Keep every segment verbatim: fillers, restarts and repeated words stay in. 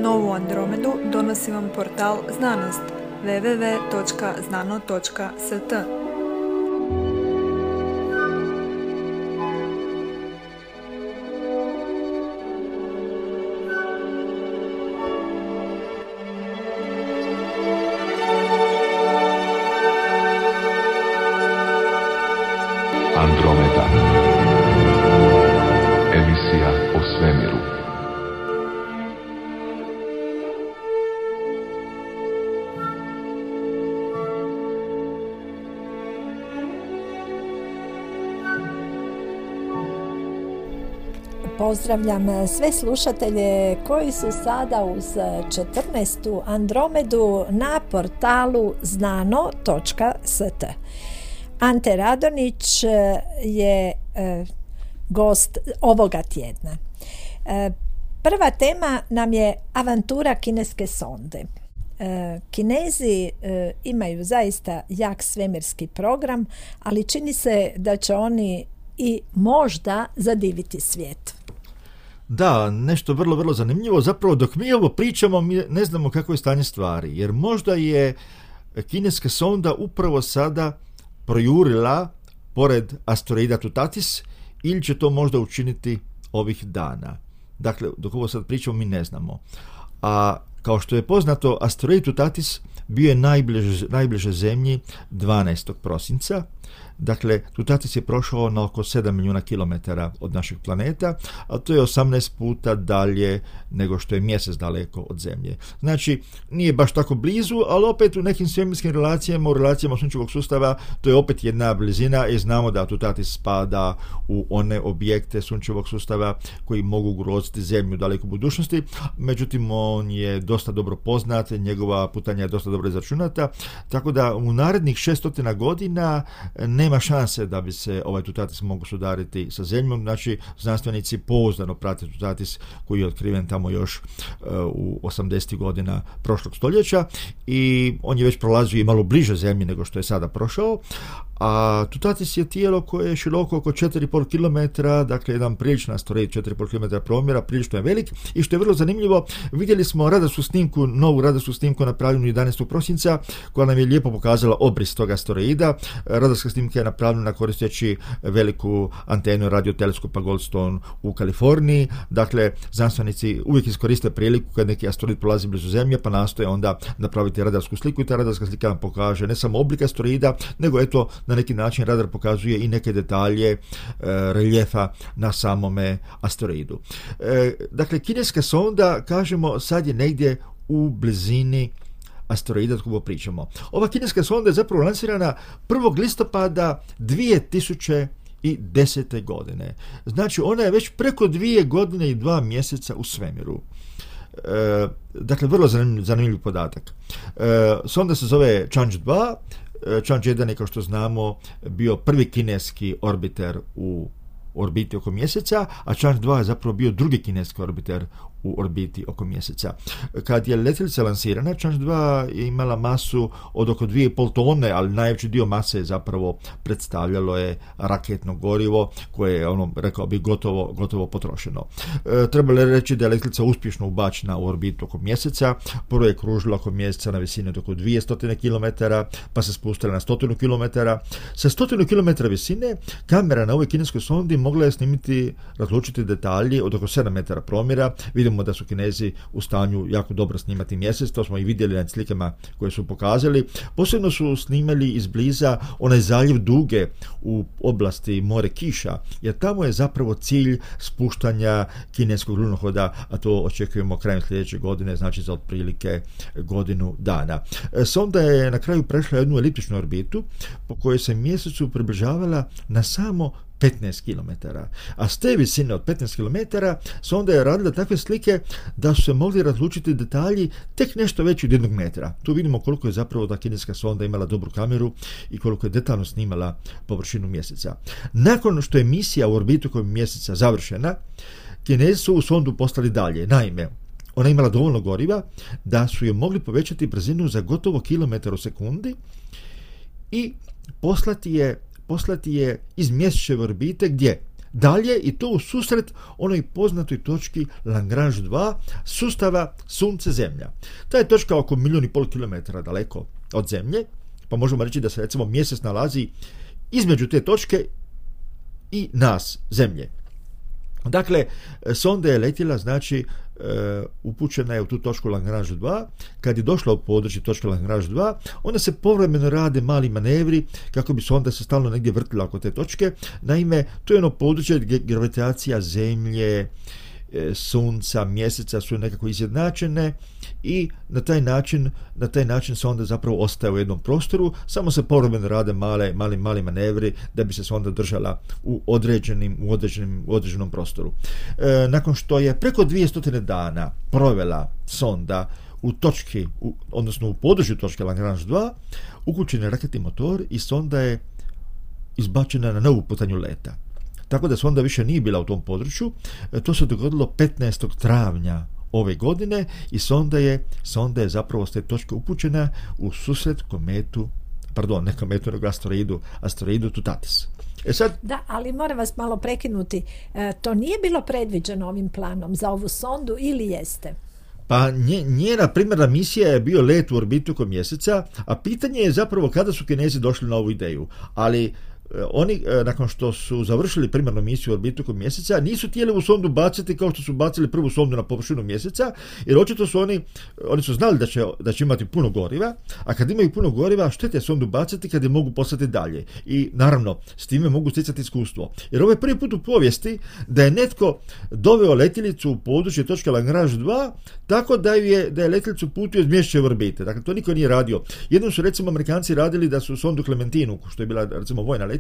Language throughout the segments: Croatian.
Novu Andromedu donosi vam portal Znanost w w w točka znano točka s t. Andromeda. Emisija o svemiru. Pozdravljam sve slušatelje koji su sada uz četrnaestu Andromedu na portalu znano točka s t. Ante Radonić je e, gost ovoga tjedna. E, prva tema nam je avantura kineske sonde. E, Kinezi e, imaju zaista jak svemirski program, ali čini se da će oni i možda zadiviti svijet. Da, nešto vrlo, vrlo zanimljivo. Zapravo dok mi ovo pričamo, mi ne znamo kako je stanje stvari, jer možda je kineska sonda upravo sada projurila pored asteroida Tutatis ili će to možda učiniti ovih dana. Dakle, dok ovo sad pričamo, mi ne znamo. A kao što je poznato, asteroid Tutatis bio je najbliže, najbliže zemlji dvanaestog prosinca. Dakle, Tutatis je prošao na oko sedam milijuna kilometara od našeg planeta, a to je osamnaest puta dalje nego što je mjesec daleko od Zemlje. Znači, nije baš tako blizu, ali opet u nekim svemirskim relacijama, u relacijama sunčevog sustava, to je opet jedna blizina i znamo da Tutatis spada u one objekte sunčevog sustava koji mogu ugroziti Zemlju u dalekoj budućnosti. Međutim, on je dosta dobro poznat, njegova putanja je dosta dobro izračunata, tako da u narednih šesto godina nema šanse da bi se ovaj Tutatis mogu sudariti sa Zemljom. Znači, znanstvenici pouzdano prate Tutatis koji je otkriven tamo još uh, u osamdesetih godina prošlog stoljeća i on je već prolazio i malo bliže Zemlji nego što je sada prošao. A Tutatis je tijelo koje je široko oko četiri i pol kilometra, dakle jedan priličan asteroid, četiri i pol kilometra promjera, prilično je velik i što je vrlo zanimljivo, vidjeli smo radarsku snimku, novu radarsku snimku napravljenu jedanaestog prosinca koja nam je lijepo pokazala obris tog asteroida. Radarska snimka je napravljena koristeći veliku antenu radioteleskopa Goldstone u Kaliforniji. Dakle, znanstvenici uvijek iskoriste priliku kad neki asteroid prolazi blizu Zemlje pa nastoje onda napraviti radarsku sliku i ta radarska slika nam pokaže ne samo oblik asteroida, nego eto na neki način radar pokazuje i neke detalje e, reljefa na samome asteroidu. E, dakle, kineska sonda, kažemo, sad je negdje u blizini asteroida od koga pričamo. Ova kineska sonda je zapravo lansirana prvog listopada dvije tisuće desete. godine. Znači, ona je već preko dvije godine i dva mjeseca u svemiru. E, dakle, vrlo zanimljiv, zanimljiv podatak. E, sonda se zove Chang'e dva. Chang'e jedan je, kao što znamo, bio prvi kineski orbiter u orbiti oko mjeseca, a Chang'e dva je zapravo bio drugi kineski orbiter u orbiti oko mjeseca. Kad je letjelica lansirana, Chang'e dva je imala masu od oko dvije i pol tone, ali najveći dio mase je zapravo predstavljalo je raketno gorivo koje je, ono, rekao bi, gotovo, gotovo potrošeno. E, trebalo je reći da je letjelica uspješno ubačena u orbitu oko mjeseca. Prvo je kružila oko mjeseca na visini od oko dvjesto kilometara, pa se spustila na sto kilometara. Sa sto kilometara visine kamera na ovoj kineskoj sondi mogla je snimiti, razlučiti detalji od oko sedam metara promjera. Vidimo da su Kinezi u stanju jako dobro snimati mjesec, to smo i vidjeli na slikama koje su pokazali. Posebno su snimali izbliza onaj zaljev Duge u oblasti More kiša, jer tamo je zapravo cilj spuštanja kineskog lunohoda, a to očekujemo krajem sljedeće godine, znači za otprilike godinu dana. Sonda je na kraju prešla jednu eliptičnu orbitu po kojoj se mjesecu približavala na samo petnaest kilometara. A s te visine od petnaest kilometara sonda je radila takve slike da su se mogli razlučiti detalji tek nešto veći od jednog metra. Tu vidimo koliko je zapravo ta kineska sonda imala dobru kameru i koliko je detaljno snimala površinu mjeseca. Nakon što je misija u orbitu oko mjeseca završena, Kinezi su u sondu poslali dalje. Naime, ona je imala dovoljno goriva da su je mogli povećati brzinu za gotovo kilometar u sekundi i poslati je poslati je iz mjesečeve orbite gdje? dalje i to u susret onoj poznatoj točki Lagrange dva sustava Sunce-Zemlja. Ta je točka oko milijun i pol kilometara daleko od Zemlje, pa možemo reći da se recimo mjesec nalazi između te točke i nas, Zemlje. Dakle, sonda je letjela, znači upućena je u tu točku Lagrange dva. Kad je došla u područje točke Lagrange dva, onda se povremeno rade mali manevri kako bi sonda se stalno negdje vrtila oko te točke. Naime, to je ono područje gdje gravitacija Zemlje, Sunca, Mjeseca su nekako izjednačene i na taj način, na taj način sonda zapravo ostaje u jednom prostoru, samo se povremeno rade male, mali, mali manevri da bi se sonda držala u određenim, u određenim, u određenom prostoru. E, nakon što je preko dvjesto dana provela sonda u točki, u, odnosno u području točke Lagrange dva, uključen je raketni motor i sonda je izbačena na novu putanju leta. Tako da sonda više nije bila u tom području. To se dogodilo petnaestog travnja ove godine i sonda je, sonda je zapravo s te točke upućena u susret kometu, pardon, ne kometu, nego asteroidu, asteroidu Tutatis. E sad, da, ali moram vas malo prekinuti. E, to nije bilo predviđeno ovim planom za ovu sondu ili jeste? Pa nje, njena primarna misija je bio let u orbitu oko mjeseca, a pitanje je zapravo kada su Kinezi došli na ovu ideju. Ali oni, nakon što su završili primarnu misiju u orbitu oko mjeseca, nisu htjeli u sondu baciti kao što su bacili prvu sondu na površinu mjeseca, jer očito su oni, oni su znali da će, da će imati puno goriva, a kad imaju puno goriva, što te sondu baciti kad je mogu poslati dalje. I naravno, s time mogu stjecati iskustvo. Jer ovo je prvi put u povijesti da je netko doveo letjelicu u područje točke Lagrange dva, tako da je, da je letjelicu putio iz Mjesečeve orbite. Dakle, to niko nije radio. Jednom su recimo Amerikanci radili da su sondu Clementinu, što je bila recimo vojna letjelica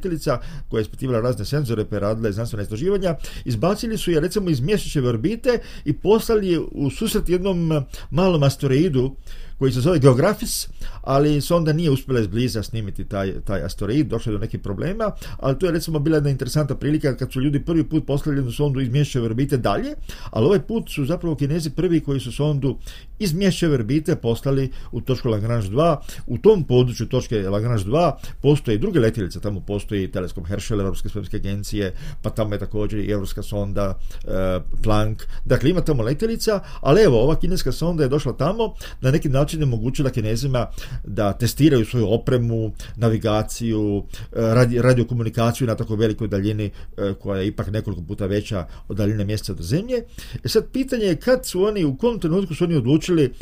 koja je ispitivala razne senzore pa je radila znanstvena istraživanja, izbacili su je recimo iz Mjesečeve orbite i poslali je u susret jednom malom asteroidu koji se zove Geographis, ali sonda nije uspjela izbliza snimiti taj, taj asteroid, došlo je do nekih problema, ali to je recimo bila jedna interesantna prilika kad su ljudi prvi put poslali jednu sondu iz Mjesečeve orbite dalje, ali ovaj put su zapravo Kinezi prvi koji su sondu iz Mjesečeve orbite poslali u točku Lagrange dva. U tom području točke Lagrange dva postoje i druge letjelice, tamo postoji teleskop Herschel Europske svemirske agencije, pa tamo je također i europska sonda e, Planck, dakle ima tamo letjelica, ali evo, ova kineska sonda je došla tamo na neki način je omogućila Kinezima da testiraju svoju opremu, navigaciju, radio, radiokomunikaciju na tako velikoj daljini koja je ipak nekoliko puta veća od daljine mjeseca do Zemlje. E sad pitanje je kad su oni, u kom trenutku su oni odlučili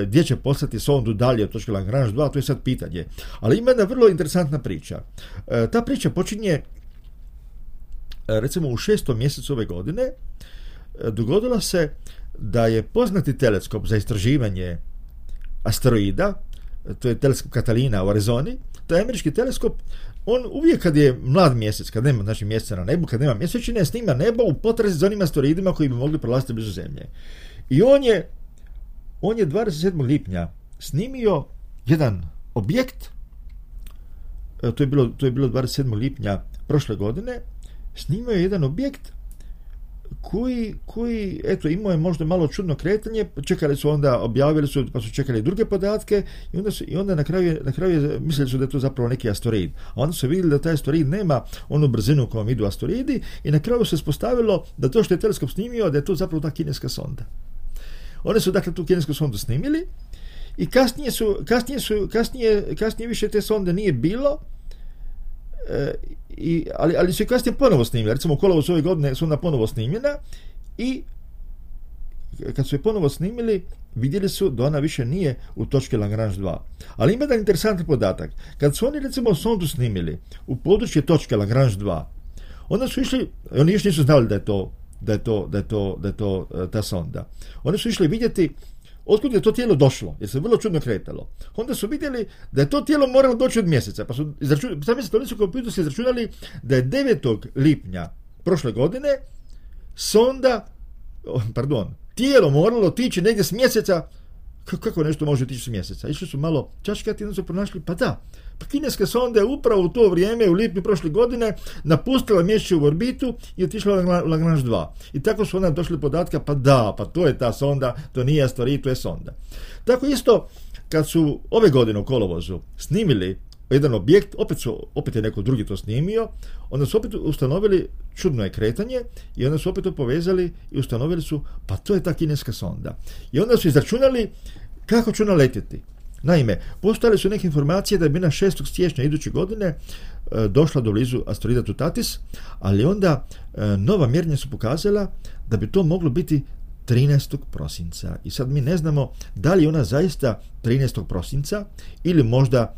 gdje će poslati sondu dalje od točke Lagrange dva, to je sad pitanje. Ali ima jedna vrlo interesantna priča. Ta priča počinje recimo u šestom mjesecu ove godine. Dogodilo se da je poznati teleskop za istraživanje asteroida, to je teleskop Catalina u Arizoni, taj američki teleskop, on uvijek kad je mlad mjesec, kad nema znači mjeseca na nebu, kad nema mjesečine, snima nebo u potrazi za onim asteroidima koji bi mogli prolaziti blizu Zemlje. I on je on je dvadeset sedmog lipnja snimio jedan objekt, to je bilo, to je bilo dvadeset sedmog lipnja prošle godine, snimio je jedan objekt koji, koji, eto, imao je možda malo čudno kretanje, čekali su onda, objavili su, pa su čekali druge podatke i onda, su, i onda na kraju, na kraju mislili su da je to zapravo neki asteroid. A onda su vidjeli da taj asteroid nema onu brzinu kojom idu asteroidi i na kraju se ispostavilo da to što je teleskop snimio, da je to zapravo ta kineska sonda. Oni su dakle tu kinesku sondu snimili i kasnije su, kasnije su, kasnije, kasnije više te sonde nije bilo, e, i, ali, ali su i kasnije ponovo snimili. Recimo u kolovozu ove godine su onda ponovo snimljena i kad su je ponovo snimili, vidjeli su da ona više nije u točki Lagrange dva. Ali ima jedan interesantan podatak. Kad su oni recimo sondu snimili u područje točke Lagrange dva, onda su išli, oni još nisu znali da je to da je to, da je to, da je to ta sonda. Oni su išli vidjeti otkud je to tijelo došlo, jer se vrlo čudno kretalo. Onda su vidjeli da je to tijelo moralo doći od mjeseca, pa su izračunali, sami se to nisu kompjuter su izračunali da je devetog lipnja prošle godine sonda, pardon, tijelo moralo otići negdje s mjeseca. Kako nešto može otići s mjeseca? Išli su malo čačkati i onda su pronašli, pa da, pa kineska sonda je upravo u to vrijeme, u lipnju prošle godine, napustila Mjesečevu orbitu i otišla u Lagrange dva. I tako su onda došli podatka, pa da, pa to je ta sonda, to nije asteroid, to je sonda. Tako isto, kad su ove godine u kolovozu snimili jedan objekt, opet, su, opet je neko drugi to snimio, onda su opet ustanovili čudno je kretanje i onda su opet to povezali i ustanovili su, pa to je ta kineska sonda. I onda su izračunali kako će ona letjeti. Naime, postojale su neke informacije da bi na šestog siječnja iduće godine e, došla do blizu asteroida Tutatis, ali onda e, nova mjerenja su pokazala da bi to moglo biti trinaestog prosinca. I sad mi ne znamo da li je ona zaista trinaestog prosinca ili možda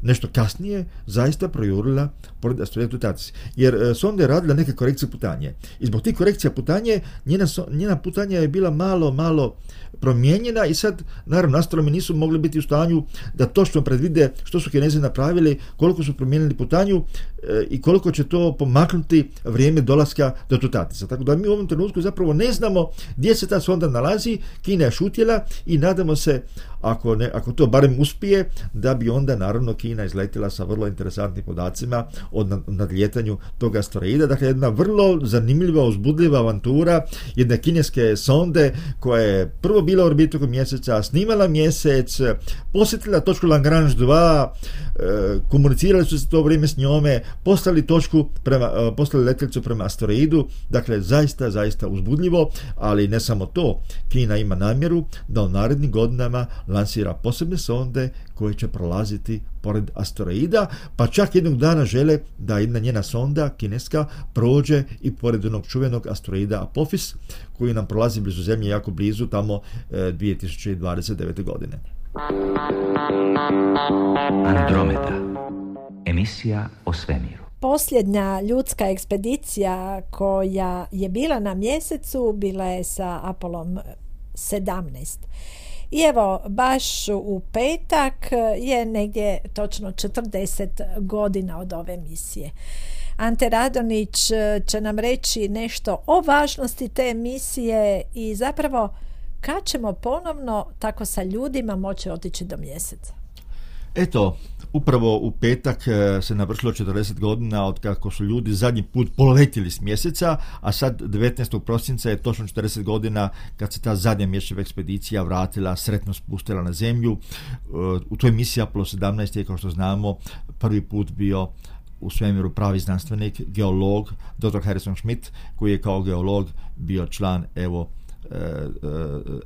nešto kasnije zaista projurila pored asteroida Tutatis. Jer e, sonda je radila neke korekcije putanje. I zbog tih korekcija putanje, njena, njena putanja je bila malo, malo promijenjena i sad, naravno, astronomi nisu mogli biti u stanju da točno predvide što su Kinezi napravili, koliko su promijenili putanju e, i koliko će to pomaknuti vrijeme dolaska do Tutatisa. Tako da mi u ovom trenutku zapravo ne znamo gdje se ta sonda nalazi, Kina je šutjela i nadamo se, ako, ne, ako to barem uspije, da bi onda, naravno, Kina izletila sa vrlo interesantnim podacima o nadljetanju tog asteroida. Dakle, jedna vrlo zanimljiva, uzbudljiva avantura jedne kineske sonde koja je prvo bila u orbitu oko mjeseca, snimala mjesec, posjetila točku Lagrange dva, komunicirali su se to vrijeme s njome, poslali točku prema, poslali letjelicu prema asteroidu. Dakle, zaista, zaista uzbudljivo, ali ne samo to. Kina ima namjeru da u narednim godinama lansira posebne sonde koje će prolaziti pored asteroida, pa čak jednog dana žele da jedna njena sonda, kineska, prođe i pored onog čuvenog asteroida Apophis, koji nam prolazi blizu Zemlje, jako blizu, tamo e, dvije tisuće dvadeset devete. godine. Andromeda. Emisija o svemiru. Posljednja ljudska ekspedicija koja je bila na mjesecu bila je sa Apolom sedamnaest. I evo, baš u petak je negdje točno četrdeset godina od ove misije. Ante Radonić će nam reći nešto o važnosti te misije i zapravo kad ćemo ponovno tako sa ljudima moći otići do mjeseca. Eto, upravo u petak se navršilo četrdeset godina od kako su ljudi zadnji put poletjeli s mjeseca, a sad devetnaestog prosinca je točno četrdeset godina kad se ta zadnja mjesečeva ekspedicija vratila, sretno spustila na Zemlju. U toj misiji Apollo sedamnaest je, kao što znamo, prvi put bio u svemiru pravi znanstvenik, geolog, doktor Harrison Schmitt, koji je kao geolog bio član, evo,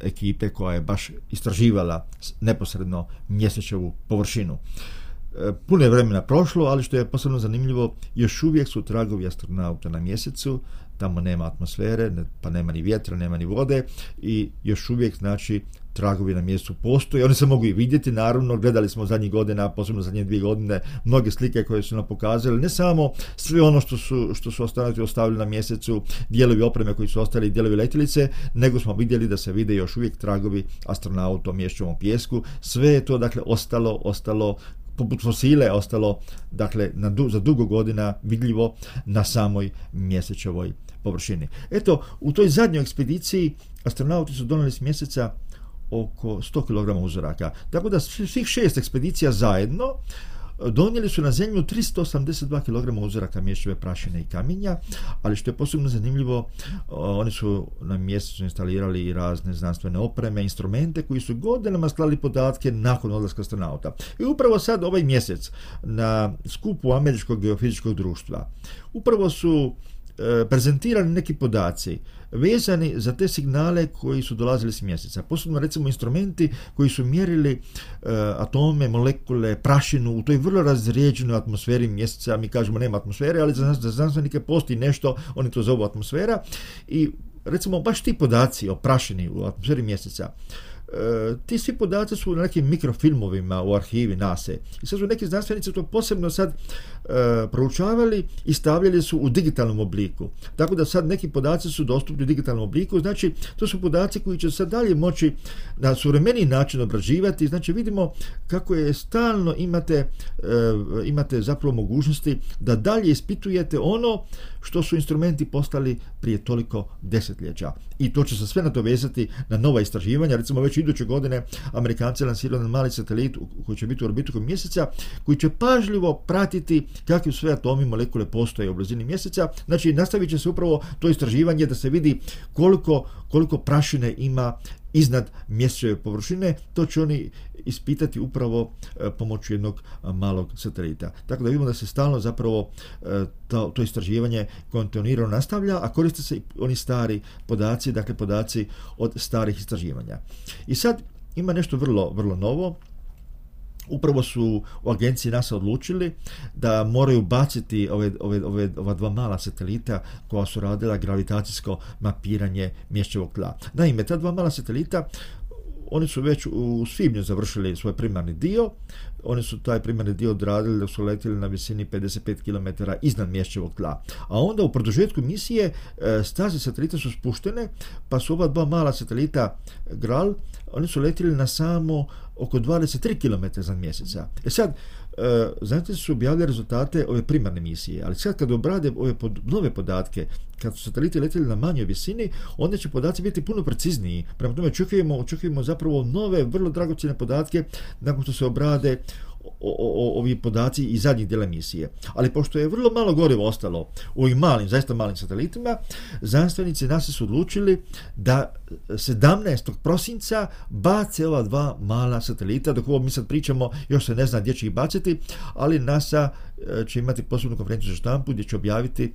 ekipe koja je baš istraživala neposredno mjesečevu površinu. Puno je vremena prošlo, ali što je posebno zanimljivo, još uvijek su tragovi astronauta na mjesecu, tamo nema atmosfere, pa nema ni vjetra, nema ni vode i još uvijek, znači, tragovi na mjesecu postoje. Oni se mogu i vidjeti, naravno, gledali smo zadnjih godina, posebno zadnje dvije godine, mnoge slike koje su nam pokazali, ne samo sve ono što su, što su astronauti ostavili na mjesecu, dijelovi opreme koji su ostali, dijelovi letjelice, nego smo vidjeli da se vide još uvijek tragovi astronauta u mjesečevom pijesku. Sve je to, dakle, ostalo, ostalo poput fosile, ostalo, dakle, na du, za dugo godina vidljivo na samoj mjesečevoj površini. Eto, u toj zadnjoj ekspediciji astronauti su donijeli s mjeseca oko sto kilograma uzoraka. Tako da svih šest ekspedicija zajedno donijeli su na Zemlju tristo osamdeset dva kilograma uzoraka mjesečeve prašine i kamenja, ali što je posebno zanimljivo, oni su na mjesecu instalirali i razne znanstvene opreme, instrumente koji su godinama slali podatke nakon odlaska astronauta. I upravo sad ovaj mjesec na skupu Američkog geofizičkog društva upravo su prezentirani neki podaci vezani za te signale koji su dolazili s mjeseca. Posebno, recimo, instrumenti koji su mjerili uh, atome, molekule, prašinu u toj vrlo razrijeđenoj atmosferi mjeseca. Mi kažemo nema atmosfere, ali za, za znanstvenike postoji nešto, oni to zovu atmosfera. I, recimo, baš ti podaci o prašini u atmosferi mjeseca, Uh, ti svi podaci su na nekim mikrofilmovima u arhivi NASA. I sad su neki znanstvenici to posebno sad uh, proučavali i stavljali su u digitalnom obliku. Tako da sad neki podaci su dostupni u digitalnom obliku, znači to su podaci koji će sad dalje moći na suvremeniji način obrađivati. Znači vidimo kako je stalno imate, uh, imate zapravo mogućnosti da dalje ispitujete ono što su instrumenti postali prije toliko desetljeća. I to će se sve nadovezati na nova istraživanja. Recimo, već iduće godine Amerikanci lansiraju jedan mali satelit koji će biti u orbitu oko mjeseca, koji će pažljivo pratiti kakvi sve atomi, molekule postoje u blizini mjeseca. Znači, nastavit će se upravo to istraživanje da se vidi koliko, koliko prašine ima iznad mjesečeve površine, to će oni ispitati upravo e, pomoću jednog a, malog satelita. Tako da vidimo da se stalno zapravo e, to, to istraživanje kontinuirano nastavlja, a koriste se i oni stari podaci, dakle podaci od starih istraživanja. I sad ima nešto vrlo, vrlo novo. Upravo su u agenciji NASA odlučili da moraju baciti ove, ove, ove, ova dva mala satelita koja su radila gravitacijsko mapiranje mjesečevog tla. Naime, ta dva mala satelita, oni su već u svibnju završili svoj primarni dio. Oni su taj primarni dio odradili dok su letjeli na visini pedeset pet kilometara iznad mjesečevog tla. A onda u produžetku misije staze satelita su spuštene, pa su ova dva mala satelita Gral, oni su letjeli na samo oko dvadeset tri kilometra iznad mjeseca. E sad, znate su objavili rezultate ove primarne misije, ali sad kad obrade ove pod, nove podatke, kad su sateliti letjeli na manjoj visini, onda će podaci biti puno precizniji. Prema tome očekujemo, očekujemo zapravo nove, vrlo dragocjene podatke nakon što se obrade o, o, ovi podaci iz zadnjih dijela misije. Ali pošto je vrlo malo goriva ostalo u ovim malim, zaista malim satelitima, znanstvenici NASA su odlučili da sedamnaestog prosinca bace ova dva mala satelita. Dok ovo mi sad pričamo, još se ne zna gdje će ih baciti, ali NASA će imati posebnu konferenciju za štampu gdje će objaviti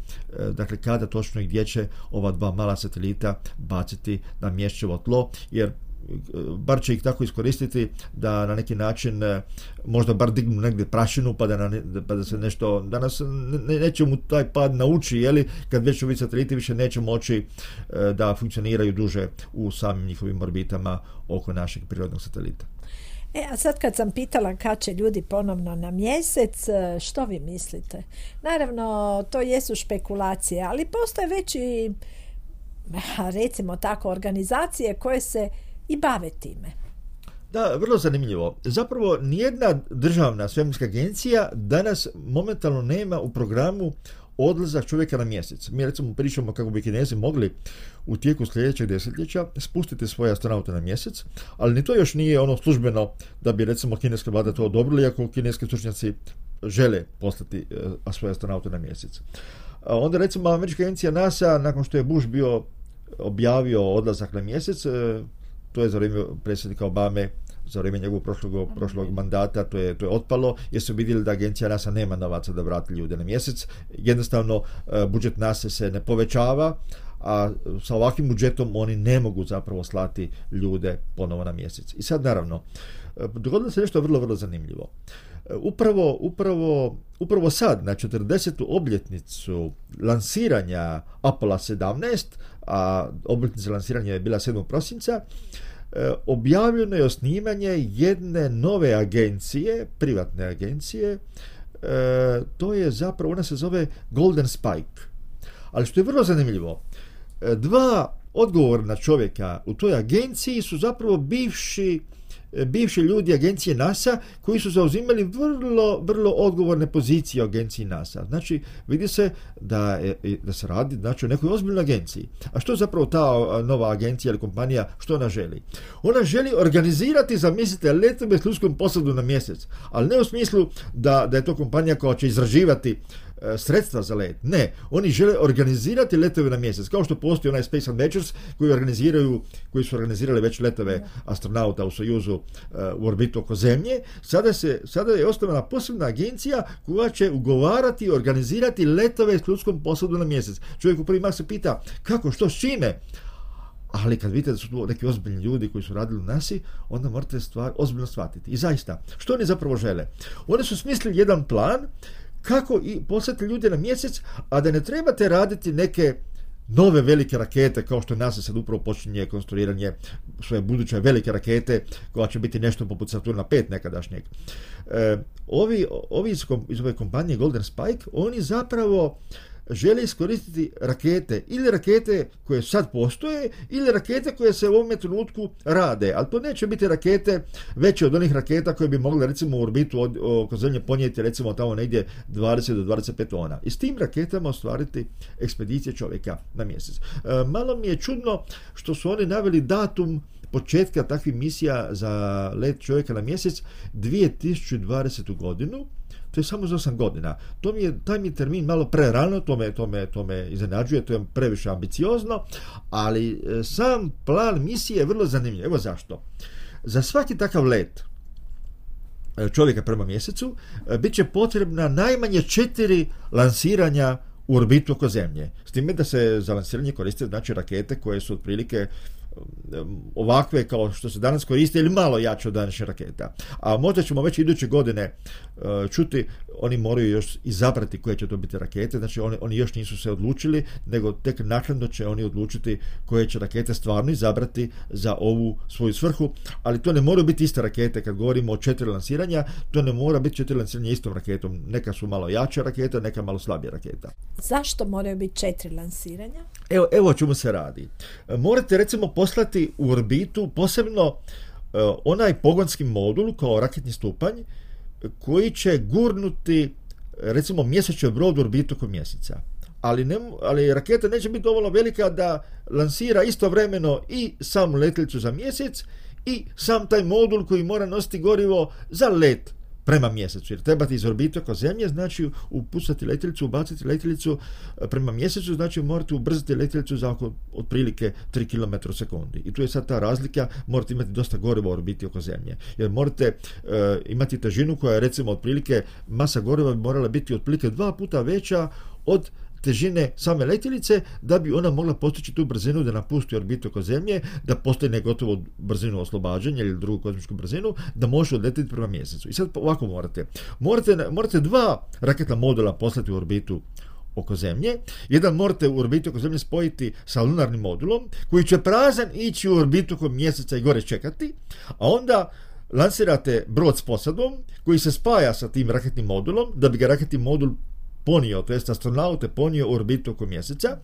dakle kada točno i gdje će ova dva mala satelita baciti na mjesečevo tlo, jer bar će ih tako iskoristiti da na neki način možda bar dignu negdje prašinu pa da, na, pa da se nešto, da nas ne, neće mu taj pad nauči, jeli, kad već ovi sateliti više neće moći da funkcioniraju duže u samim njihovim orbitama oko našeg prirodnog satelita. E, a sad kad sam pitala kad će ljudi ponovno na mjesec, što vi mislite? Naravno, to jesu špekulacije, ali postoje već i, recimo tako, organizacije koje se i bave time. Da, vrlo zanimljivo. Zapravo, nijedna državna svemirska agencija danas momentalno nema u programu odlazak čovjeka na mjesec. Mi recimo pričamo kako bi Kinezi mogli u tijeku sljedećeg desetljeća spustiti svoje astronaute na mjesec, ali ni to još nije ono službeno da bi recimo kineska vlada to odobrila, iako kineski stručnjaci žele poslati uh, svoje astronaute na mjesec. A onda recimo američka agencija NASA, nakon što je Bush bio objavio odlazak na mjesec, uh, to je za vrijeme predsjednika Obame, za vrijeme njegovog prošlog, prošlog mandata, to je, to je otpalo, jer su vidjeli da agencija NASA nema novaca da vrati ljude na mjesec. Jednostavno, budžet NASA se ne povećava, a sa ovakvim budžetom oni ne mogu zapravo slati ljude ponovo na mjesec. I sad, naravno, dogodilo se nešto vrlo, vrlo zanimljivo. Upravo, upravo, upravo sad, na četrdesetu obljetnicu lansiranja Apollo sedamnaest, a obljetnica lansiranja je bila sedmog prosinca, objavljeno je osnivanje jedne nove agencije, privatne agencije, to je zapravo, ona se zove Golden Spike. Ali što je vrlo zanimljivo, dva odgovorna čovjeka u toj agenciji su zapravo bivši bivši ljudi agencije NASA koji su zauzimali vrlo, vrlo odgovorne pozicije u agenciji NASA. Znači, vidi se da, je, da se radi znači, o nekoj ozbiljnoj agenciji. A što zapravo ta nova agencija ili kompanija, što ona želi? Ona želi organizirati, zamislite, letove s ljudskom posadom na mjesec, ali ne u smislu da, da je to kompanija koja će izraživati sredstva za let. Ne, oni žele organizirati letove na mjesec, kao što postoji onaj Space Adventures koji organiziraju, koji su organizirali već letove astronauta u Sojuzu uh, u orbitu oko Zemlje. Sada se, sada je osnovana posebna agencija koja će ugovarati i organizirati letove s ljudskom posadom na mjesec. Čovjek u prvi mah se pita kako, što, s čime? Ali kad vidite da su tu neki ozbiljni ljudi koji su radili u nasi, onda morate stvar ozbiljno shvatiti. I zaista, što oni zapravo žele? Oni su smislili jedan plan kako i poslati ljude na mjesec, a da ne trebate raditi neke nove velike rakete, kao što NASA sad upravo počinje konstruiranje svoje buduće velike rakete, koja će biti nešto poput Saturna pet nekadašnjeg. E, ovi ovi iz, iz ove kompanije Golden Spike, oni zapravo žele iskoristiti rakete, ili rakete koje sad postoje, ili rakete koje se u ovom trenutku rade, ali to neće biti rakete veće od onih raketa koje bi mogle recimo u orbitu od, oko Zemlje ponijeti recimo tamo negdje dvadeset do dvadeset pet tona. I s tim raketama ostvariti ekspedicije čovjeka na mjesec. E, malo mi je čudno što su oni naveli datum početka takvih misija za let čovjeka na mjesec dvije tisuće dvadesete godinu, to je samo za osam godina. To mi je, taj mi termin malo prerano, to me, to me, to me iznenađuje, to je previše ambiciozno, ali sam plan misije je vrlo zanimljiv. Evo zašto. Za svaki takav let čovjeka prema mjesecu bit će potrebna najmanje četiri lansiranja u orbitu oko Zemlje. S time da se za lansiranje koriste znači rakete koje su otprilike ovakve kao što se danas koriste ili malo jače od današnje raketa. A možda ćemo već iduće godine uh, čuti, oni moraju još izabrati koje će to biti rakete, znači oni, oni još nisu se odlučili, nego tek naknadno će oni odlučiti koje će rakete stvarno izabrati za ovu svoju svrhu, ali to ne moraju biti iste rakete. Kad govorimo o četiri lansiranja, to ne mora biti četiri lansiranja istom raketom. Neka su malo jače raketa, neka malo slabija raketa. Zašto moraju biti četiri lansiranja? Evo, evo o čemu se radi. Morate recimo poslati u orbitu posebno uh, onaj pogonski modul kao raketni stupanj koji će gurnuti recimo mjesečni brod u orbitu oko mjeseca. Ali, ne, ali raketa neće biti dovoljno velika da lansira istovremeno i samu letjelicu za mjesec i sam taj modul koji mora nositi gorivo za let prema mjesecu, jer trebate iz orbite oko Zemlje, znači upucati letjelicu, ubaciti letjelicu prema mjesecu, znači morate ubrzati letjelicu za oko otprilike tri kilometra u sekundi. I tu je sad ta razlika, morate imati dosta goriva u orbiti oko Zemlje, jer morate uh, imati težinu koja je recimo otprilike, masa goriva bi morala biti otprilike dva puta veća od težine same letjelice, da bi ona mogla postići tu brzinu da napusti orbitu oko Zemlje, da postigne gotovo brzinu oslobađanja ili drugu kozmičku brzinu, da može odletiti prema mjesecu. I sad ovako morate. Morate, morate dva raketna modula poslati u orbitu oko Zemlje. Jedan morate u orbitu oko Zemlje spojiti sa lunarnim modulom, koji će prazan ići u orbitu oko mjeseca i gore čekati, a onda lansirate brod s posadom, koji se spaja sa tim raketnim modulom, da bi ga raketni modul ponio, to jest astronaute ponio u orbitu oko mjeseca,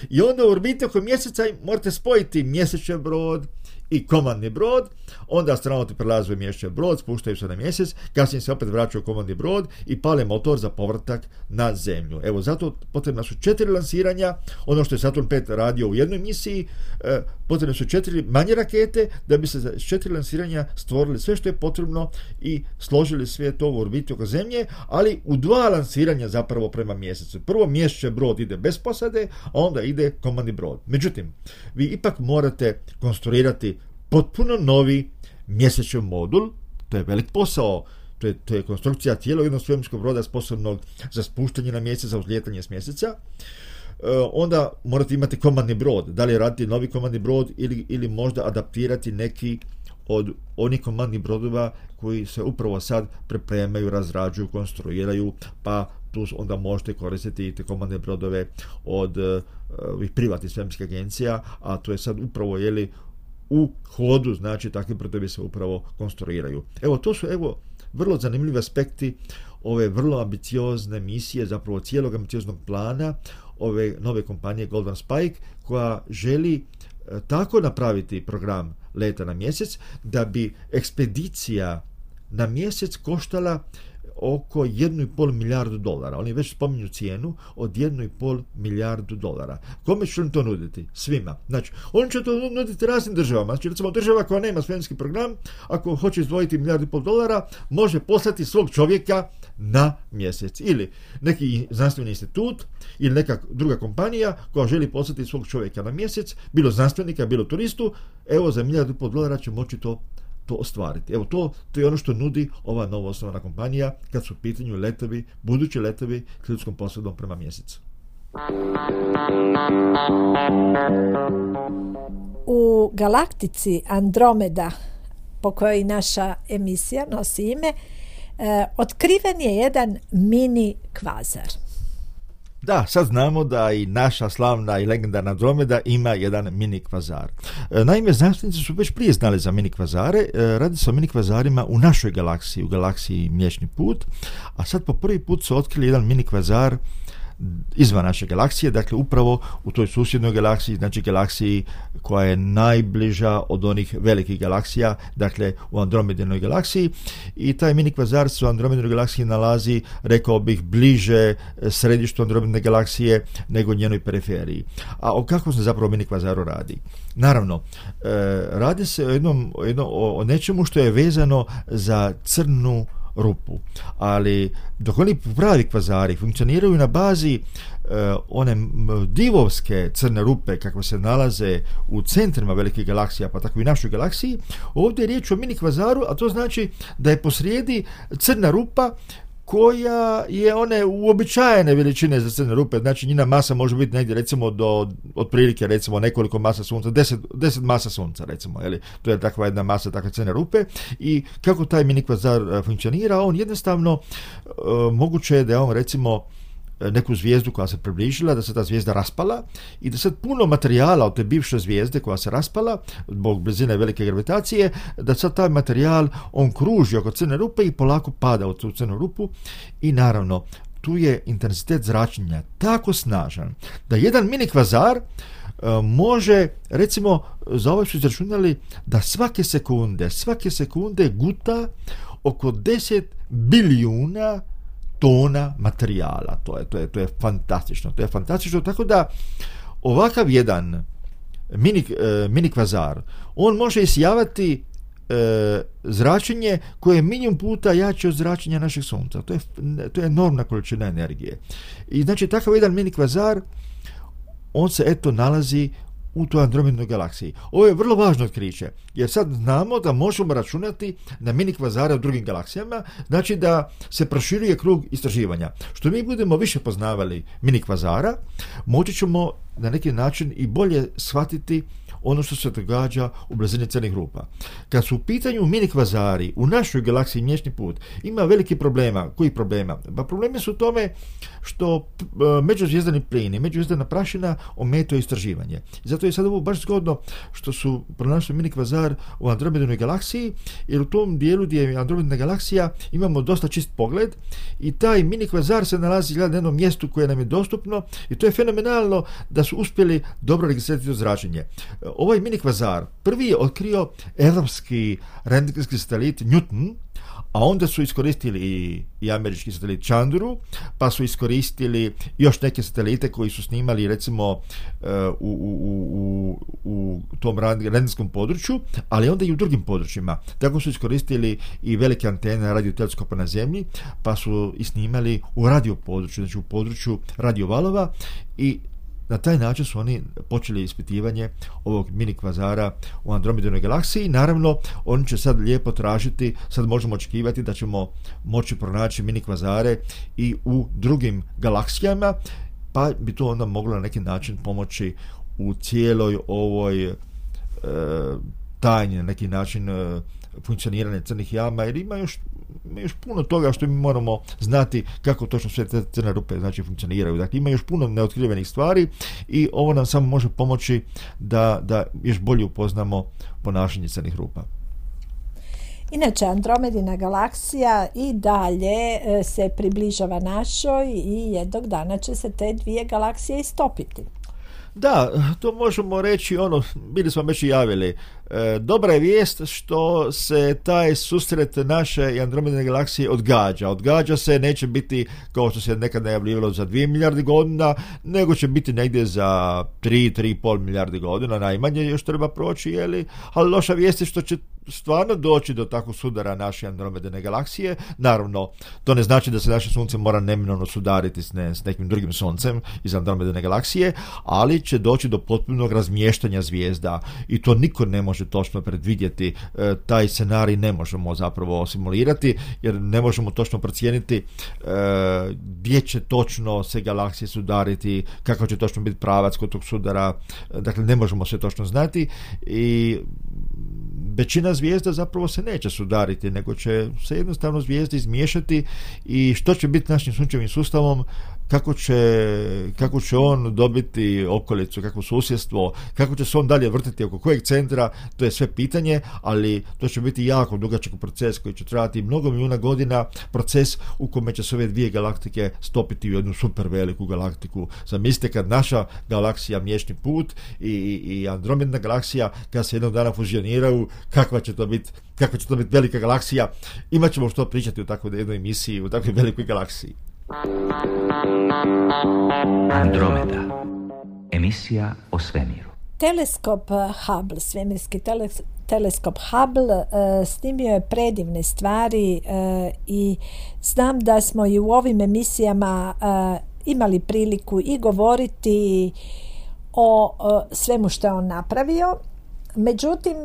i onda u orbitu oko mjeseca morate spojiti mjesečni brod i komandni brod, onda astronauti prelaze u mjesečni brod, spuštaju se na mjesec, kasnije se opet vraćaju u komandni brod i pale motor za povratak na Zemlju. Evo, zato potrebna su četiri lansiranja, ono što je Saturn pet radio u jednoj misiji, eh, potrebne su četiri manje rakete, da bi se za četiri lansiranja stvorili sve što je potrebno i složili sve to u orbitu oko Zemlje, ali u dva lansiranja zapravo prema mjesecu. Prvo mjesečni brod ide bez posade, a onda ide komandni brod. Međutim, vi ipak morate konstruirati potpuno novi mjesečni modul, to je velik posao, to je, to je konstrukcija cijelog jednog svemirskog broda sposobnog za spuštanje na mjesec, za uzlijetanje s mjeseca. E, onda morate imati komandni brod, da li raditi novi komandni brod ili, ili možda adaptirati neki od onih komandnih brodova koji se upravo sad pripremaju, razrađuju, konstruiraju, pa tu onda možete koristiti te komandne brodove od ovih uh, privatnih svemirskih agencija, a to je sad upravo jeli u hodu, znači takvi brodovi se upravo konstruiraju. Evo, to su evo vrlo zanimljivi aspekti ove vrlo ambiciozne misije, zapravo cijelog ambicioznog plana ove nove kompanije Golden Spike, koja želi uh, tako napraviti program leta na mjesec da bi ekspedicija na mjesec koštala oko jednu i pol milijardu dolara. Oni već spominju cijenu od jednu i pol milijardu dolara. Kome će im to nuditi? Svima. Znači, oni će to nuditi raznim državama. Znači, recimo, država koja nema svemirski program, ako hoće izdvojiti milijardu i pol dolara, može poslati svog čovjeka na mjesec. Ili neki znanstveni institut, ili neka druga kompanija koja želi poslati svog čovjeka na mjesec, bilo znanstvenika, bilo turistu, evo, za milijardu i pol dolara će moći to to ostvariti. Evo, to, to je ono što nudi ova novo osnovana kompanija kad su u pitanju letovi, budući letovi s ljudskom posadom prema mjesecu. U galaktici Andromeda, po kojoj naša emisija nosi ime, eh, otkriven je jedan mini kvazar. Da, sad znamo da i naša slavna i legendarna Andromeda ima jedan mini kvazar. Naime, znanstvenici su već prije znali za mini kvazare. Radi se o mini kvazarima u našoj galaksiji, u galaksiji Mliječni put, a sad po prvi put su otkrili jedan mini kvazar izvan naše galaksije, dakle upravo u toj susjednoj galaksiji, znači galaksiji koja je najbliža od onih velikih galaksija, dakle u Andromedinoj galaksiji, i taj mini kvazar se u Andromedinoj galaksiji nalazi, rekao bih, bliže središtu Andromedine galaksije nego njenoj periferiji. A o kakvom se zapravo mini kvazaru radi? Naravno, e, radi se o, jednom, o, jednom, o nečemu što je vezano za crnu rupu. Ali dok oni pravi kvazari funkcioniraju na bazi uh, one divovske crne rupe kakve se nalaze u centrima velikih galaksija, pa tako i našoj galaksiji, ovdje je riječ o mini kvazaru, a to znači da je posrijedi crna rupa koja je one uobičajene veličine za crne rupe, znači njena masa može biti negdje recimo do otprilike recimo nekoliko masa sunca, deset, deset masa sunca recimo, jeli? To je takva jedna masa takve crne rupe. I kako taj mini kvazar uh, funkcionira, on jednostavno uh, moguće je da je on recimo neku zvijezdu koja se približila, da se ta zvijezda raspala i da sad puno materijala od te bivše zvijezde koja se raspala zbog blizine velike gravitacije, da sad taj materijal on kruži oko crne rupe i polako pada u tu crnu rupu i naravno tu je intenzitet zračenja tako snažan da jedan mini kvazar uh, može, recimo za ovo su izračunali da svake sekunde, svake sekunde guta oko deset bilijuna tona materijala. To je, to je, to je fantastično. To je fantastično, tako da ovakav jedan mini, e, mini kvazar, on može isijavati e, zračenje koje je milijun puta jače od zračenja našeg sunca. To je, to je enormna količina energije. I znači takav jedan mini kvazar, on se eto nalazi u toj Andromednoj galaksiji. Ovo je vrlo važno otkriće, jer sad znamo da možemo računati na mini kvazare u drugim galaksijama, znači da se proširuje krug istraživanja. Što mi budemo više poznavali mini kvazara, moći ćemo na neki način i bolje shvatiti ono što se događa u blizini crnih rupa. Kad su u pitanju mini kvazari u našoj galaksiji Mliječni put, ima veliki problema. Koji problema? Pa problemi su u tome što međuzvijezdani plin i međuzvijezdana prašina ometaju istraživanje. I zato je sad ovo baš zgodno što su pronašli mini kvazar u Andromednoj galaksiji, jer u tom dijelu gdje je Andromedna galaksija imamo dosta čist pogled i taj mini kvazar se nalazi na jednom mjestu koje nam je dostupno i to je fenomenalno da su uspjeli dobro registrirati to zračenje. Ovaj mini kvazar prvi je otkrio evropski rentgenski satelit Newton, a onda su iskoristili i, i američki satelit Chandru, pa su iskoristili još neke satelite koji su snimali recimo uh, u, u, u, u tom rentgenskom području, ali onda i u drugim područjima. Tako su iskoristili i velike antene radioteleskopa na Zemlji, pa su i snimali u radio području, znači u području radiovalova i na taj način su oni počeli ispitivanje ovog mini kvazara u Andromednoj galaksiji. Naravno, oni će sad lijepo tražiti, sad možemo očekivati da ćemo moći pronaći mini kvazare i u drugim galaksijama, pa bi to onda moglo na neki način pomoći u cijeloj ovoj e, tajni, na neki način e, funkcioniranje crnih jama, jer ima još, ima još puno toga što mi moramo znati kako točno sve te crne rupe znači funkcioniraju. Dakle, ima još puno neotkrivenih stvari i ovo nam samo može pomoći da, da još bolje upoznamo ponašanje crnih rupa. Inače, Andromedina galaksija i dalje se približava našoj i jednog dana će se te dvije galaksije istopiti. Da, to možemo reći, ono, bili smo već i javili. E, dobra je vijest što se taj susret naše i Andromedine galaksije odgađa. Odgađa se, neće biti kao što se nekad najavljivalo za dvije milijarde godina, nego će biti negdje za tri, tri i pol milijarde godina, najmanje još treba proći, jeli? Ali loša vijest je što će stvarno doći do takvog sudara naše Andromedine galaksije. Naravno, to ne znači da se naše sunce mora neminovno sudariti s, ne, s nekim drugim suncem iz Andromedine galaksije, ali će doći do potpunog razmještanja zvijezda i to niko ne može točno predvidjeti. E, taj scenarij ne možemo zapravo simulirati, jer ne možemo točno procijeniti e, gdje će točno se galaksije sudariti, kako će točno biti pravac kod tog sudara. Dakle, ne možemo sve točno znati i većina zvijezda zapravo se neće sudariti, nego će se jednostavno zvijezde izmiješati i što će biti našim sunčevim sustavom, kako će, kako će on dobiti okolicu, kako susjedstvo, kako će se on dalje vrtiti oko kojeg centra, to je sve pitanje, ali to će biti jako dugačak proces koji će trajati mnogo milijuna godina, proces u kome će se ove dvije galaktike stopiti u jednu super veliku galaktiku. Zamislite kad naša galaksija Mliječni put i, i Andromedna galaksija kad se jednog dana fuzioniraju, kakva će to biti kakva će to biti velika galaksija. Imat ćemo što pričati u takvoj jednoj emisiji, u takvoj velikoj galaksiji. Andromeda. Emisija o svemiru. Teleskop Hubble, svemirski tele, teleskop Hubble uh, snimio je predivne stvari uh, i znam da smo i u ovim emisijama uh, imali priliku i govoriti o uh, svemu što je on napravio. Međutim,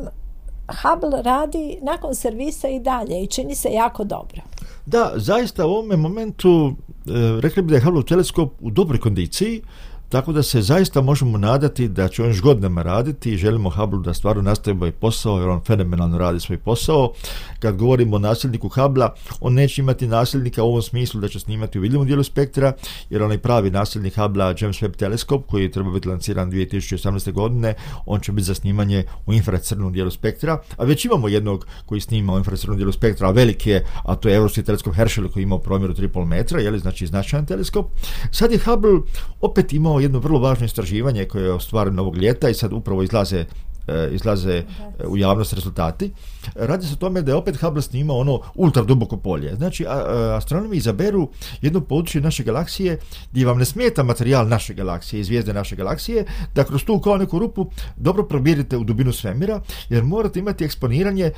Hubble radi nakon servisa i dalje i čini se jako dobro. Da, zaista u ovome momentu e, rekli bi da je Hubble teleskop u dobroj kondiciji, tako da se zaista možemo nadati da će on još godinama raditi i želimo Hubble da stvarno nastavi svoj posao, jer on fenomenalno radi svoj posao. Kad govorimo o nasljedniku Hubble-a, on neće imati nasljednika u ovom smislu da će snimati u vidljivom dijelu spektra, jer onaj pravi nasljednik Hubble-a, James Webb teleskop, koji treba biti lanciran dvije tisuće osamnaeste. godine, on će biti za snimanje u infracrvenom dijelu spektra, a već imamo jednog koji snima u infracrvenom dijelu spektra, a veliki je, a to je europski teleskop Herschel koji ima promjeru tri i pol metra, je li, znači značajan teleskop. Sad je Hubble opet imao jedno vrlo važno istraživanje koje je ostvareno ovog ljeta i sad upravo izlaze izlaze u javnost rezultati. Radi se o tome da je opet Hubble snimao ono ultra duboko polje. Znači, astronomi izaberu jedno područje naše galaksije gdje vam ne smeta materijal naše galaksije i zvijezde naše galaksije, da kroz tu kao neku rupu dobro probirite u dubinu svemira, jer morate imati eksponiranje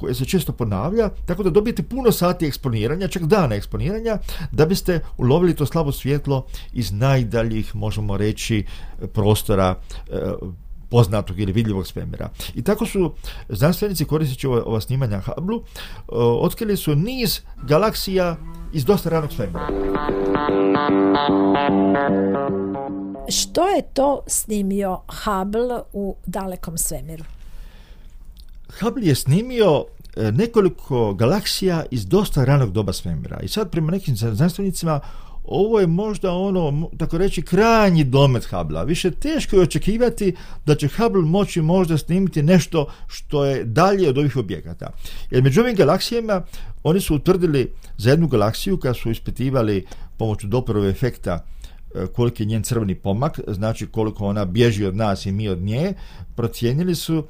koje se često ponavlja, tako da dobijete puno sati eksponiranja, čak dana eksponiranja, da biste ulovili to slabo svjetlo iz najdaljih, možemo reći, prostora poznatog ili vidljivog svemira. I tako su znanstvenici, koristeći ova, ova snimanja Hubble, otkrili su niz galaksija iz dosta ranog svemira. Što je to snimio Hubble u dalekom svemiru? Hubble je snimio nekoliko galaksija iz dosta ranog doba svemira. I sad prema nekim znanstvenicima ovo je možda ono, tako reći, krajnji domet Hubble-a. Više teško je očekivati da će Hubble moći možda snimiti nešto što je dalje od ovih objekata. Jer među ovim galaksijama oni su utvrdili za jednu galaksiju kad su ispitivali pomoću Dopplerova efekta koliki je njen crveni pomak, znači koliko ona bježi od nas i mi od nje, procijenili su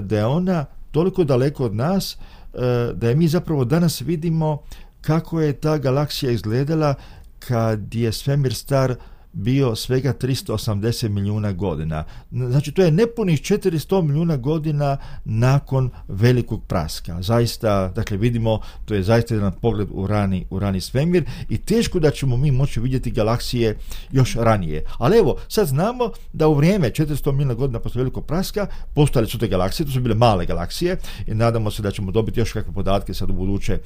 da je ona toliko daleko od nas da je mi zapravo danas vidimo kako je ta galaksija izgledala kad je svemir star bio svega tristo osamdeset milijuna godina. Znači, to je nepunih četiristo milijuna godina nakon velikog praska. Zaista, dakle, vidimo, to je zaista jedan pogled u rani, u rani svemir i teško da ćemo mi moći vidjeti galaksije još ranije. Ali evo, sad znamo da u vrijeme četiristo milijuna godina poslije velikog praska postojale su te galaksije, to su bile male galaksije i nadamo se da ćemo dobiti još kakve podatke sad u buduće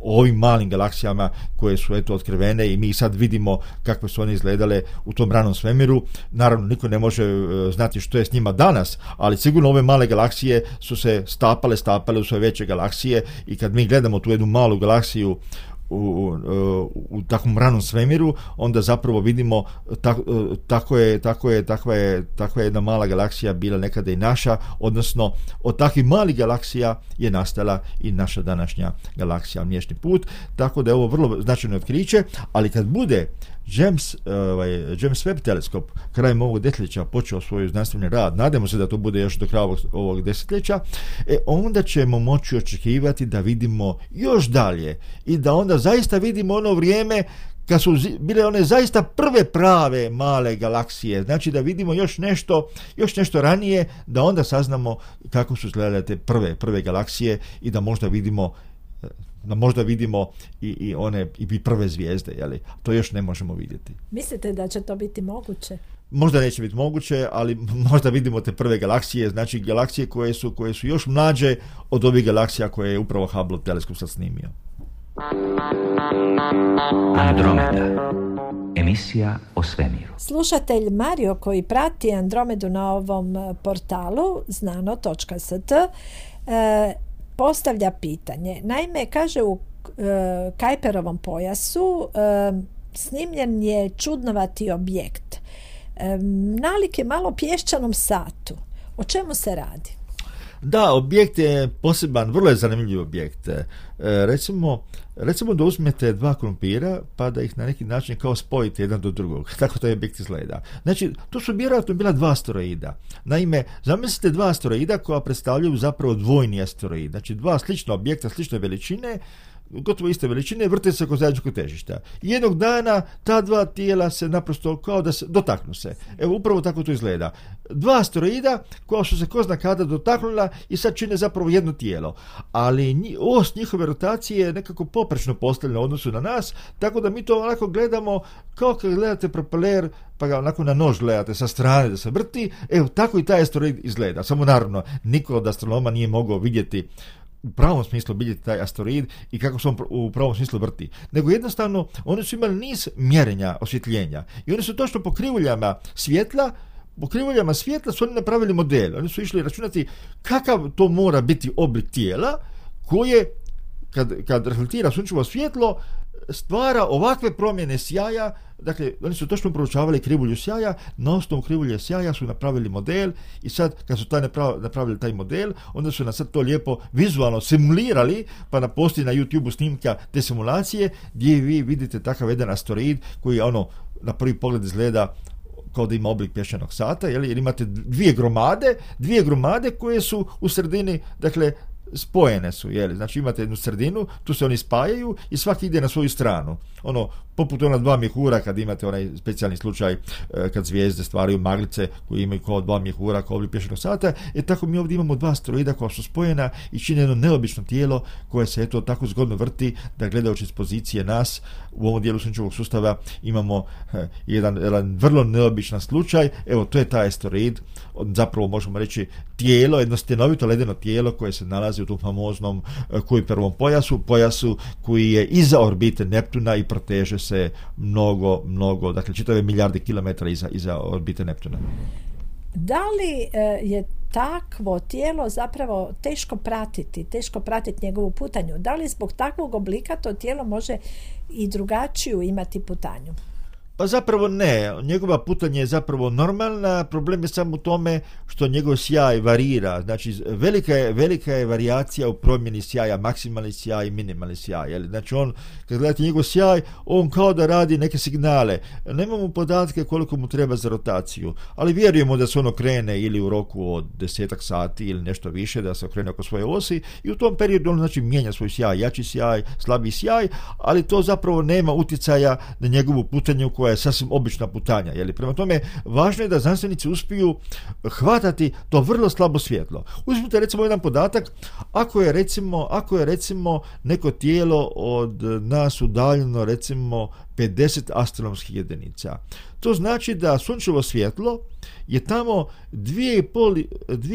o ovim malim galaksijama koje su eto otkrivene i mi sad vidimo kakve su one izgledale u tom ranom svemiru. Naravno, niko ne može uh, znati što je s njima danas, ali sigurno ove male galaksije su se stapale, stapale u svoje veće galaksije i kad mi gledamo tu jednu malu galaksiju u, u, u takvom ranom svemiru, onda zapravo vidimo tak, tako je, tako je, takva je, takva je jedna mala galaksija bila nekada i naša, odnosno od takvih malih galaksija je nastala i naša današnja galaksija Mliječni put, tako da je ovo vrlo značajno otkriće, ali kad bude James, ovaj, James Webb teleskop krajem ovog desetljeća počeo svoj znanstveni rad, nadamo se da to bude još do kraja ovog, ovog desetljeća, e, onda ćemo moći očekivati da vidimo još dalje i da onda zaista vidimo ono vrijeme kad su bile one zaista prve prave male galaksije, znači da vidimo još nešto, još nešto ranije, da onda saznamo kako su izgledale te prve, prve galaksije i da možda vidimo da možda vidimo i, i one i prve zvijezde, jeli? To još ne možemo vidjeti. Mislite da će to biti moguće? Možda neće biti moguće, ali možda vidimo te prve galaksije, znači galaksije koje su, koje su još mlađe od ovih galaksija koje je upravo Hubble teleskop sad snimio. Andromeda. Emisija o svemiru. Slušatelj Mario koji prati Andromedu na ovom portalu znano točka s t e, postavlja pitanje. Naime, kaže u e, Kuiperovom pojasu e, snimljen je čudnovati objekt. E, nalik je malo pješčanom satu. O čemu se radi? Da, objekt je poseban, vrlo je zanimljiv objekt. E, recimo, recimo da uzmete dva krumpira pa da ih na neki način kao spojite jedan do drugog. Tako taj objekt izgleda. Znači, to su vjerojatno bila dva asteroida. Naime, zamislite dva asteroida koja predstavljaju zapravo dvojni asteroid. Znači, dva slična objekta, slične veličine, gotovo iste veličine, vrte se oko zajedničkog težišta. I jednog dana ta dva tijela se naprosto kao da se dotaknu se. Evo, upravo tako to izgleda. Dva asteroida koja su se ko zna kada dotaknula i sad čine zapravo jedno tijelo. Ali os njihove rotacije je nekako poprečno postavljena u odnosu na nas, tako da mi to onako gledamo kao kad gledate propeler, pa ga onako na nož gledate sa strane da se vrti. Evo, tako i taj asteroid izgleda. Samo naravno, niko od astronoma nije mogao vidjeti u pravom smislu vidjeti taj asteroid i kako se on u pravom smislu vrti. Nego jednostavno, oni su imali niz mjerenja osvjetljenja i oni su točno po krivuljama svjetla po krivuljama svjetla su oni napravili model. Oni su išli računati kakav to mora biti oblik tijela koje, kad, kad reflektira sunčevo svjetlo, stvara ovakve promjene sjaja. Dakle, oni su točno proučavali krivulju sjaja, na osnovu krivulje sjaja su napravili model i sad, kad su taj napravili taj model, onda su nas sad to lijepo vizualno simulirali, pa na postoji na YouTube snimka te simulacije, gdje vi vidite takav jedan asteroid koji ono na prvi pogled izgleda kao da ima oblik pješčanog sata, jel? Jer imate dvije gromade, dvije gromade koje su u sredini, dakle, spojene su, jel? Znači imate jednu sredinu, tu se oni spajaju i svaki ide na svoju stranu. Ono, poput ona dva mjehura kad imate onaj specijalni slučaj e, kad zvijezde stvaraju maglice koji imaju kao dva mjehura, kao oblik pješčanog sata, e tako mi ovdje imamo dva asteroida koja su spojena i čine jedno neobično tijelo koje se eto tako zgodno vrti da gledajući iz pozicije nas u ovom dijelu sunčevog sustava imamo e, jedan, jedan vrlo neobičan slučaj. Evo, to je taj asteroid, zapravo možemo reći tijelo, jedno stenovito ledeno tijelo koje se nalazi u tom famoznom Kuiperovom pojasu, pojasu koji je iza orbite Neptuna i proteže se mnogo, mnogo, dakle čitave milijarde kilometara iza, iza orbite Neptuna. Da li je takvo tijelo zapravo teško pratiti, teško pratiti njegovu putanju? Da li zbog takvog oblika to tijelo može i drugačiju imati putanju? Pa zapravo ne, njegova putanja je zapravo normalna, problem je samo u tome što njegov sjaj varira, znači velika je, velika je varijacija u promjeni sjaja, maksimalni sjaj i minimalni sjaj, jel? Znači on, kad gledate njegov sjaj, on kao da radi neke signale, nemamo podatke koliko mu treba za rotaciju, ali vjerujemo da se ono krene ili u roku od desetak sati ili nešto više, da se okrene oko svoje osi i u tom periodu on znači mijenja svoj sjaj, jači sjaj, slabiji sjaj, ali to zapravo nema utjecaja na njegovu putanju koja je sasvim obična putanja. Jeli? Prema tome, važno je da znanstvenici uspiju hvatati to vrlo slabo svjetlo. Uzmite recimo jedan podatak, ako je recimo, ako je recimo neko tijelo od nas udaljeno recimo pedeset astronomskih jedinica. To znači da sunčevo svjetlo je tamo dvije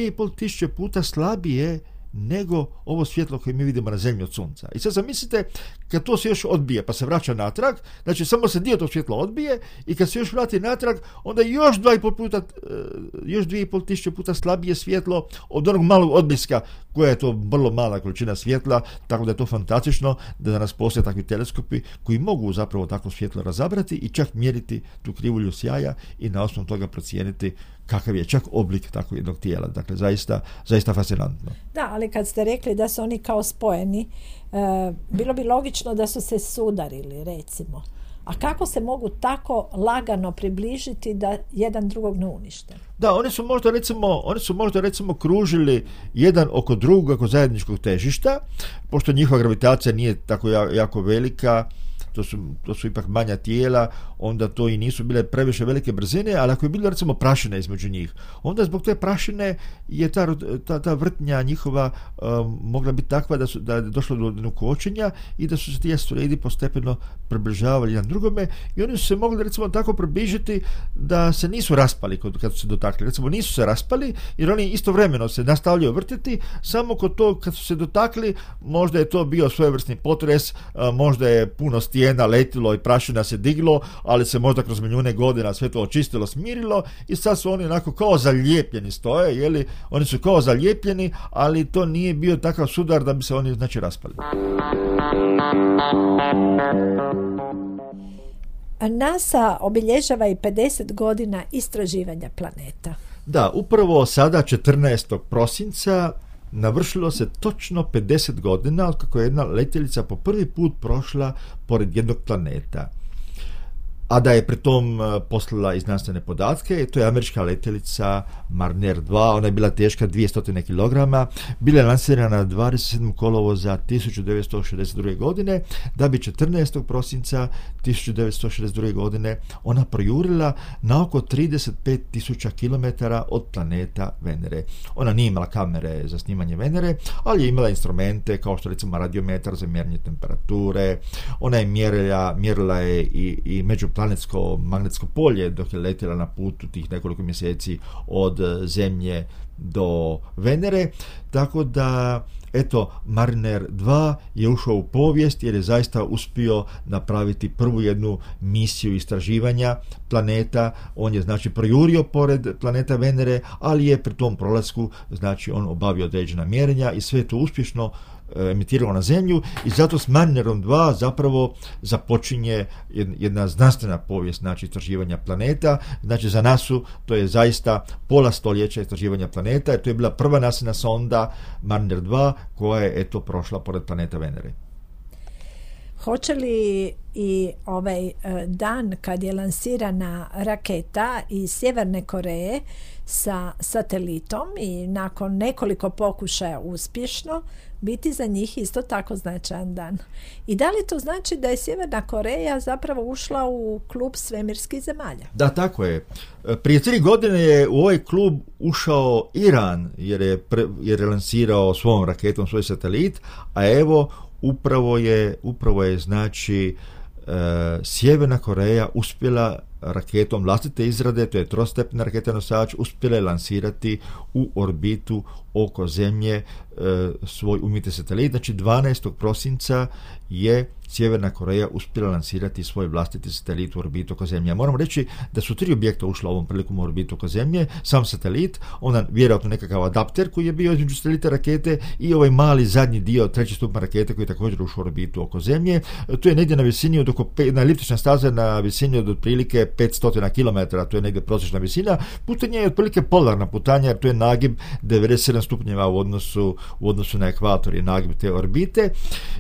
i pol tisuće puta slabije nego ovo svjetlo koje mi vidimo na zemlji od sunca. I sad zamislite, kad to se još odbije pa se vraća natrag, znači samo se dio tog svjetla odbije i kad se još vrati natrag, onda još dva i pol puta, još dvije i pol tisuće puta slabije svjetlo od onog malog odbliska, koja je to vrlo mala količina svjetla, tako da je to fantastično da danas postoje takvi teleskopi koji mogu zapravo takvo svjetlo razabrati i čak mjeriti tu krivulju sjaja i na osnovu toga procijeniti kakav je čak oblik takvog jednog tijela. Dakle, zaista, zaista fascinantno. Da, ali kad ste rekli da su oni kao spojeni, e, bilo bi logično da su se sudarili, recimo. A kako se mogu tako lagano približiti da jedan drugog ne unište? Da, oni su možda recimo, oni su možda recimo kružili jedan oko drugog oko zajedničkog težišta, pošto njihova gravitacija nije tako jako velika, to su, to su ipak manja tijela, onda to i nisu bile previše velike brzine, ali ako je bilo recimo prašina između njih, onda zbog te prašine je ta, ta, ta vrtnja njihova um, mogla biti takva da, su, da je došlo do jednog kočenja i da su se ti asteroidi postepeno približavali jedan drugome i oni su se mogli recimo tako približiti da se nisu raspali kad, kad su se dotakli. Recimo nisu se raspali jer oni istovremeno se nastavljaju vrtiti, samo kod to kad su se dotakli možda je to bio svojevrsni potres, možda je puno stijena letilo i prašina se diglo, ali se možda kroz milijune godina sve to očistilo, smirilo i sad su oni onako kao zalijepljeni stoje, jeli? Oni su kao zalijepljeni, ali to nije bio takav sudar da bi se oni znači raspali. NASA obilježava i pedeset godina istraživanja planeta. Da, upravo sada četrnaestog prosinca navršilo se točno pedeset godina od kako je jedna letjelica po prvi put prošla pored jednog planeta. a da je pritom poslala i znanstvene podatke. To je američka letjelica Mariner dva, ona je bila teška dvjesto kilograma, bila je lansirana dvadeset sedmog kolovoza tisuću devetsto šezdeset druge. godine, da bi četrnaestog prosinca tisuću devetsto šezdeset druge. godine ona projurila na oko trideset pet tisuća kilometara od planeta Venere. Ona nije imala kamere za snimanje Venere, ali je imala instrumente kao što recimo radiometar za mjerenje temperature. Ona je mjerila, mjerila je i, i međuplanetsko magnetsko polje dok je letjela na putu tih nekoliko mjeseci od Zemlje do Venere, tako da eto, Mariner dva je ušao u povijest jer je zaista uspio napraviti prvu jednu misiju istraživanja planeta. On je znači projurio pored planeta Venere, ali je pri tom prolasku znači on obavio određena mjerenja i sve to uspješno emitiralo na Zemlju i zato s Marinerom dva zapravo započinje jedna znanstvena povijest znači istraživanja planeta. Znači za nasu to je zaista pola stoljeća istraživanja planeta jer to je bila prva nasina sonda Mariner dva koja je eto prošla pored planeta Venere. Hoće li i ovaj dan kad je lansirana raketa iz Sjeverne Koreje sa satelitom i nakon nekoliko pokušaja uspješno biti za njih isto tako značajan dan? I da li to znači da je Sjeverna Koreja zapravo ušla u klub svemirskih zemalja? Da, tako je. Prije tri godine je u ovaj klub ušao Iran jer je, pre, jer je lansirao svojom raketom svoj satelit, a evo upravo je, upravo je znači e, Sjeverna Koreja uspjela raketom vlastite izrade, to je trostepna raketa nosač, uspjela je lansirati u orbitu oko Zemlje e, svoj umjetni satelit. Znači dvanaestog prosinca je Sjeverna Koreja uspjela lansirati svoj vlastiti satelit u orbitu oko Zemlje. Moramo reći da su tri objekta ušla ovom prilikom u orbitu oko Zemlje, sam satelit, onda vjerojatno nekakav adapter koji je bio između satelita rakete i ovaj mali zadnji dio, treći stupanj rakete koji je također ušao u orbitu oko Zemlje. To je negdje na visini od oko, na eliptična staza na visini od otprilike petsto kilometara, to je negdje prosječna visina. Putanje je otprilike polarna putanja jer to je nagib devedeset sedam stupnjeva u odnosu, u odnosu na ekvator je nagib te orbite.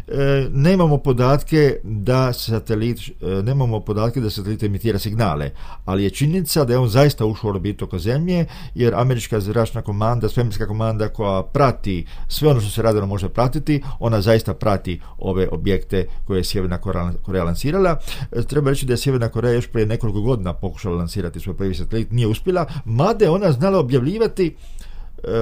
E, nemamo podatke da satelit, e, nemamo podatke da satelit emitira signale, ali je činjenica da je on zaista ušao u orbitu oko Zemlje jer američka zračna komanda, svemirska komanda koja prati sve ono što se radarno može pratiti, ona zaista prati ove objekte koje je Sjeverna Koreja lansirala. E, treba reći da je Sjeverna Koreja još prije nekoliko godina pokušala lansirati svoj prvi satelit, nije uspjela, mada je ona znala objavljivati.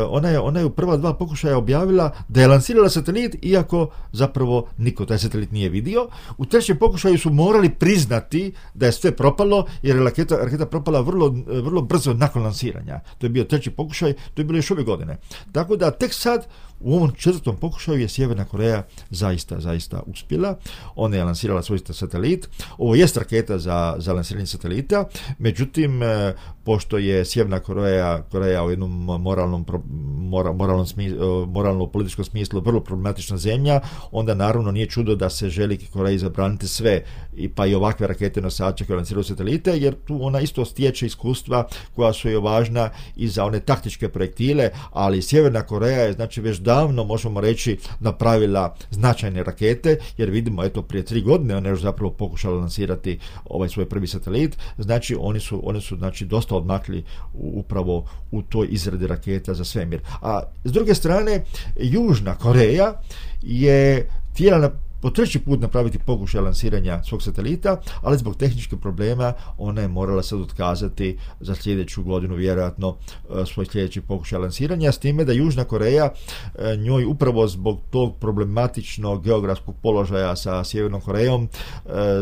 Ona je, ona je u prva dva pokušaja objavila da je lansirala satelit, iako zapravo niko taj satelit nije vidio. U trećem pokušaju su morali priznati da je sve propalo, jer je raketa, raketa propala vrlo, vrlo brzo nakon lansiranja. To je bio treći pokušaj, to je bilo još ove godine. Tako da tek sad u ovom četvrtom pokušaju je Sjeverna Koreja zaista, zaista uspjela. Ona je lansirala svoj satelit. Ovo jest raketa za, za lansiranje satelita, međutim, pošto je Sjeverna Koreja, Koreja u jednom moralnom, mora, moralnom, smislu, moralnom političkom smislu vrlo problematična zemlja, onda naravno nije čudo da se želi Koreji zabraniti sve, i pa i ovakve rakete nosače koje lansiraju satelite, jer tu ona isto stječe iskustva koja su joj važna i za one taktičke projektile, ali Sjeverna Koreja je znači već davno, možemo reći, napravila značajne rakete, jer vidimo, eto, prije tri godine ona je još zapravo pokušala lansirati ovaj svoj prvi satelit, znači oni su, oni su znači dosta odmakli upravo u toj izradi raketa za svemir. A s druge strane, Južna Koreja je htjela na po treći put napraviti pokušaj lansiranja svog satelita, ali zbog tehničkih problema ona je morala sad otkazati za sljedeću godinu vjerojatno svoj sljedeći pokušaj lansiranja, s time da Južna Koreja njoj upravo zbog tog problematičnog geografskog položaja sa Sjevernom Korejom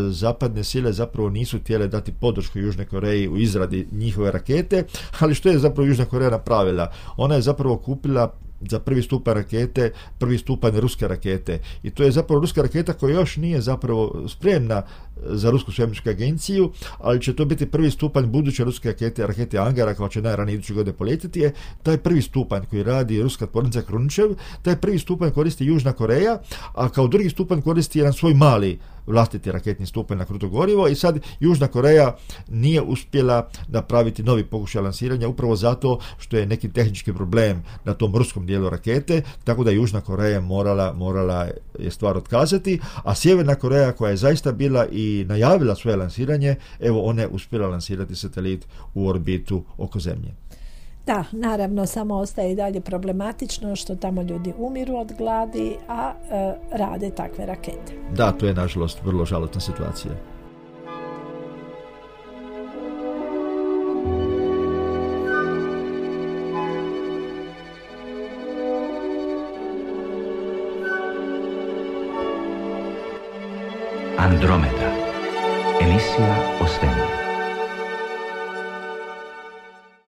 zapadne sile zapravo nisu htjele dati podršku Južnoj Koreji u izradi njihove rakete, ali što je zapravo Južna Koreja napravila? Ona je zapravo kupila za prvi stupanj rakete, prvi stupanj ruske rakete. I to je zapravo ruska raketa koja još nije zapravo spremna za Rusku svemirsku agenciju, ali će to biti prvi stupanj buduće ruske rakete, rakete Angara, koja će najranije iduće godine poletiti. Je taj prvi stupanj koji radi ruska tvornica Kruničev, taj prvi stupanj koristi Južna Koreja, a kao drugi stupanj koristi jedan svoj mali vlastiti raketni stupanj na kruto gorivo i sad Južna Koreja nije uspjela napraviti novi pokušaj lansiranja upravo zato što je neki tehnički problem na tom ruskom dijelu rakete, tako da Južna Koreja morala, morala je stvar otkazati, a Sjeverna Koreja koja je zaista bila i najavila svoje lansiranje, evo ona je uspjela lansirati satelit u orbitu oko Zemlje. Da, naravno, samo ostaje i dalje problematično što tamo ljudi umiru od gladi, a e, rade takve rakete. Da, to je nažalost vrlo žalosna situacija. Andromeda. Emisija o svemiru.